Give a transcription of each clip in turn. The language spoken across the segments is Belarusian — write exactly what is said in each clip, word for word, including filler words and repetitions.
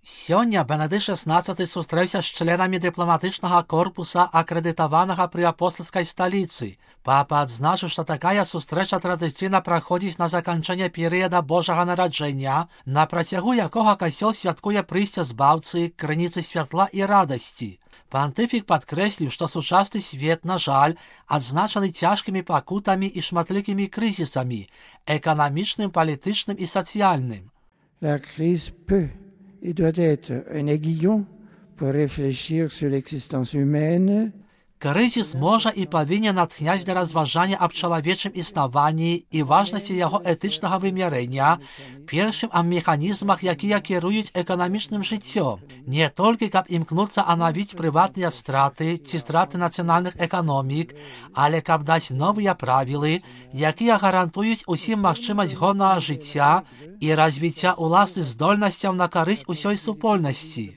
Сёння Бенедыкт шестнадцаты сустрэўся з членамі дыпламатычнага корпуса, акрэдытаванага пры апостальскай сталіцы. Папа адзначыў, што такая сустрэча традыцыйна праходзіць на заканчэнне перыяда Божага нараджэння, на працягу якога касцёл святкуе прыйсце збаўцы, крыніцы святла і радасці. Пантыфік падкрэсліў, што сучасны свет, на жаль, адзначаны цяжкімі пакутамі і шматлікімі крызісамі, эканамічным, палітычным і сацыяльным. La crise peut et doit être un aiguillon pour réfléchir sur l'existence humaine. Крызіс можа і павінен натхняць для разважання аб чалавечым існаванні і важнасці яго этычнага вымярэння, першым аб механізмах, якія кіруюць эканамічным жыццём, не толькі каб імкнуцца анавіць прыватныя страты ці страты нацыянальных эканомік, але каб даць новыя правілы, якія гарантуюць усім магчымасць годнага жыцця і развіцця ўласных здольнасцяў на карысць усёй супольнасці.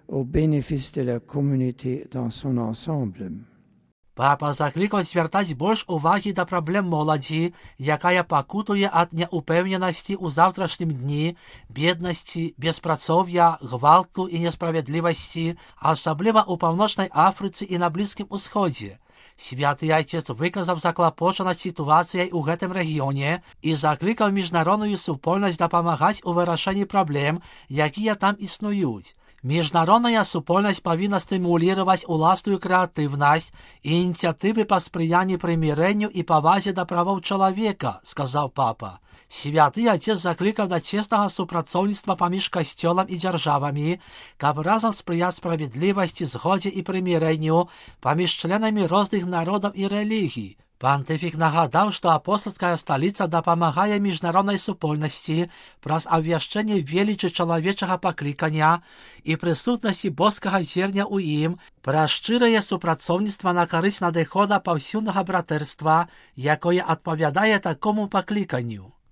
Au bénéfice de la communauté dans son ensemble. Папа заклікаў звяртаць больш увагі да праблем моладзі, якая пакутуе ад няўпэўненасці ў заўтрашнім дні, беднасці, беспрацоўя, гвалту і несправядлівасці, асабліва ў Паўночнай Афрыцы і на Блізкім Усходзе. Святы Айцец выказаў заклапочанасць сітуацыяй у гэтым рэгіёне і заклікаў міжнародную супольнасць дапамагаць у вырашэнні праблем, якія там існуюць. Міжнародная супольнасць павінна стымулировать уласную крэатыўнасць і ініцыятывы па спрыянні прымірэнню і павазе да правоў чалавека, сказаў папа. Святы Айцец заклікаў да цеснага супрацоўніцтва паміж касцёлам і дзяржавамі, каб разам спрыяць справядлівасці, згодзе і прымірэнню паміж членамі розных народаў і рэлігій. Пантыфік нагадаў, што апостальская сталіца дапамагае міжнароднай супольнасці праз абвяшчэнне велічы чалавечага паклікання і прысутнасці боскага зерня ў ім, праз шчырае супрацоўніцтва на карысць надыхода паўсюднага братэрства, якое адпавядае такому пакліканню.